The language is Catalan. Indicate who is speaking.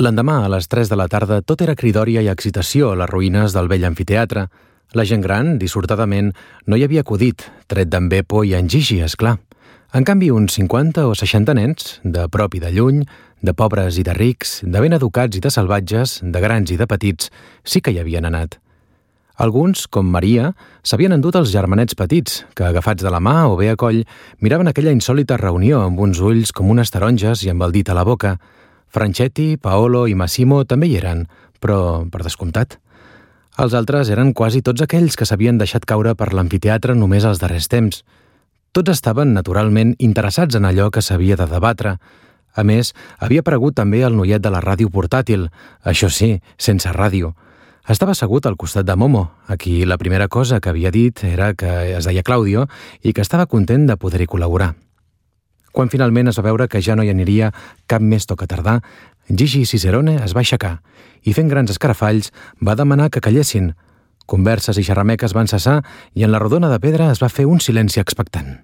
Speaker 1: L'endemà, a les 3 de la tarda, tot era cridòria i excitació a les ruïnes del vell amfiteatre. La gent gran, dissortadament, no hi havia acudit, tret d'en Beppo i en Gigi, esclar. En canvi, uns 50 o 60 nens, de prop i de lluny, de pobres i de rics, de ben educats i de salvatges, de grans i de petits, sí que hi havien anat. Alguns, com Maria, s'havien endut els germanets petits, que, agafats de la mà o bé a coll, miraven aquella insòlita reunió amb uns ulls com unes taronges i amb el dit a la boca. Franchetti, Paolo i Massimo també hi eren, però per descomptat. Els altres eren quasi tots aquells que s'havien deixat caure per l'amfiteatre només als darrers temps. Tots estaven, naturalment, interessats en allò que s'havia de debatre. A més, havia aparegut també el noiet de la ràdio portàtil, això sí, sense ràdio. Estava assegut al costat de Momo, a qui la primera cosa que havia dit era que es deia Claudio i que estava content de poder-hi col·laborar. Quan finalment es va veure que ja no hi aniria cap més tocatardà, Gigi Cicerone es va aixecar i, fent grans escarafalls, va demanar que callessin. Converses i xerrameques van cessar i en la rodona de pedra es va fer un silenci expectant.